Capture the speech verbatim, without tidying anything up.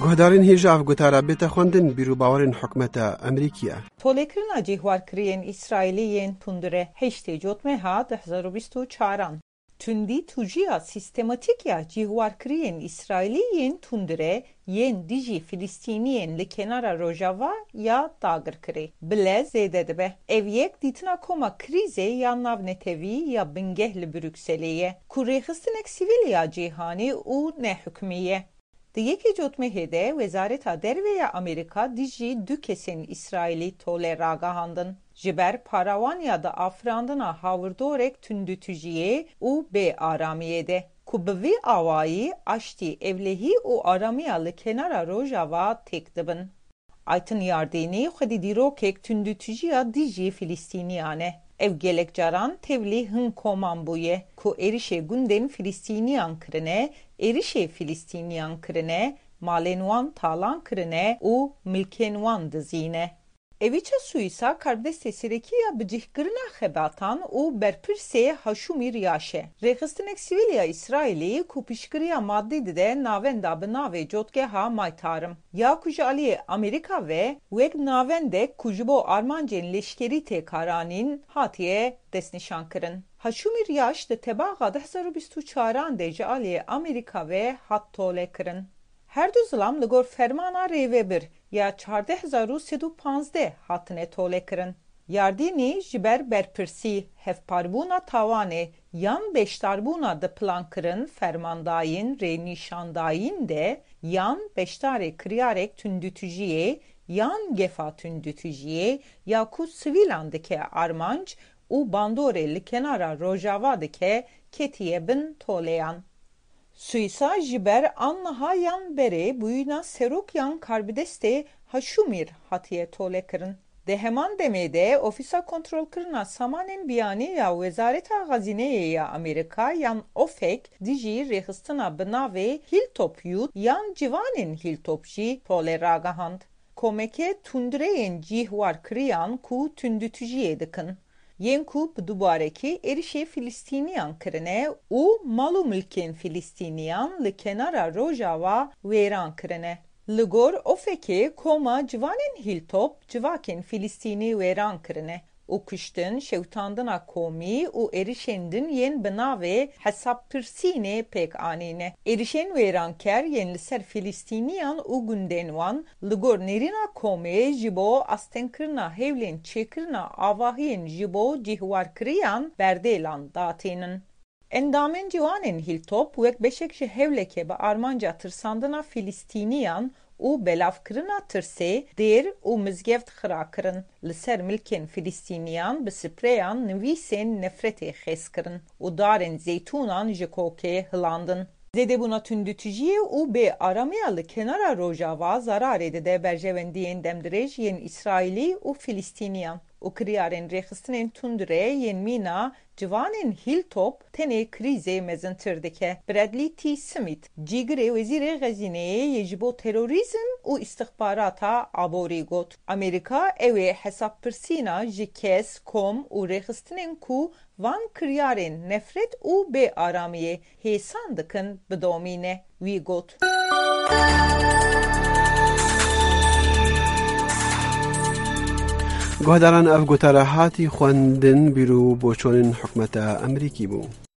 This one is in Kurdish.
Guhdarên hêja ev gotara bête xwendin bîr û bawerên hikûmeta Amerîkî ye. Tolekirina cihwarkiriyên Îsraîlî yên tundire heştê Cotmeha du hezar û bîst û çaran. Tundî tûjiya sîstematîk ya cihwarkiriyên Îsraîlî yên tundire yên dijî Filistîniyên li kenara rojava ya dagirkirî bi lez zêde dibe. Ev yek dîtina koma krîzê ya navnetewî ya bingeh li Brukselê ye, ku rêxistinek sivîl ya cîhanî û nehikmî ye. Di yekê Cotmehê de Wezareta Derve ya Amerîka dijî du kesên Îsraîlî tole ragihandin, ji ber parawaniya di afirandina hawirdorek tundûtûjiyê û bê aramiyê de, ku bi vî awayî aştî, ewlehî û aramiya li kenara Rojava têk dibin. Aytin Yardînî xwedî dîrokek tundûtûjiya dijî Filistîniyan e. Ew gelek caran tevlî hin koman bûye, ku êrişê gundên Filistîniyan kirine, êrişê Filistîniyan kirine, malên wan talan kirine û milkên wan dizîne. Eviça Suîsa karbidestê serekî ya bicihkirina xebatan û berpirsê Haşûmî Riyaş e. Rêxistinek sivîl ya Îsraîlî ku piştgiriya madî dide navenda bi navê Cotgeha Maytarim ya ku ji aliyê Amerîka ve wek navendek ku ji bo armancên leşkerî tê karanîn hatiye destnîşankirin. Haşûmî Riyaş di tebaxa du hezar û bîst û çaran de ji aliyê Amerîka ve hat tolekirin. Her du zilam li gor fermana rêvebir ya çardeh hezar û sed û panzdeh hatine tolekirin. Yardînî ji ber berpirsî, hevparbûna tawanê yan beşdarbûna di plankirin, fermandayîn, rênîşandayîn de yan beşdarê kiryarek tundûtûjiyê yan gefa tundûtûjiyê ya ku sivîlan dike armanc û bandorê li kenara Rojava dike ketiye bin toleyan. Suîsa ji ber an niha yan berê bûyîna serok yan karbidestê Haşûmîr hatiye tolekirin. Di heman demê de Ofîsa Kontrolkirina Samanên Biyanî ya Wezareta Xezîneyê ya Amerîka yan OFEC dijî rêxistina bi navê Hilltop Youth yan Ciwanên Hilltop jî tole ragihand. Komeke tundreyên cîhwarkiriyan ku tundûtûjiyê dikin, yên ku bi dubarekî êrişê Filistîniyan kirine û mal û milkên Filistîniyan li kenara Rojava wêran kirine. Li gor OFECê koma ciwanên Hilltop civakên Filistînî wêran kirine û kuştin, şewitandina komî û êrişên din yên bi navê hesabpirsînê pêk anîne. Êrişên wêranker yên li ser Filistîniyan û gundên wan li gor nêrîna komê ji bo astengkirina hewlên çêkirina avahiyên ji bo cihwarkiriyan berdêlan datînin. Endamên ciwanên Hilltop wek beşek ji hewleke bi armanca tirsandina Filistîniyan û belavkirina tirsê dêr û mizgeft xira kirin, li ser milkên Filistîniyan bi spreyan nivîsên nefretê xêz kirin û darên zeytûnan ji kokê hilandin. Zêdebûna tundûtûjiyê û bê aramiya li kenara Rojava zararê dide berjewendiyên demdirêj yên Îsraîlî û Filistîniyan û kiryarên rêxistinên tundre yên mîna ciwanên Hilltop tenê krîzê mezintir dike. Bradley T. Smith, cîgirê Wezîrê Xezîneyê yê ji bo terorîzm û îstixbarata aborî got, Amerîka ew ê hesabpirsîna ji kes, kom û rêxistinên ku van kiryarên nefret û bê aramiyê hêsan dikin bidomîne. Wî got. Guhdaran, ev gotara hatî xwendin, bîr û boçonên hikûmeta Amerîkî bû.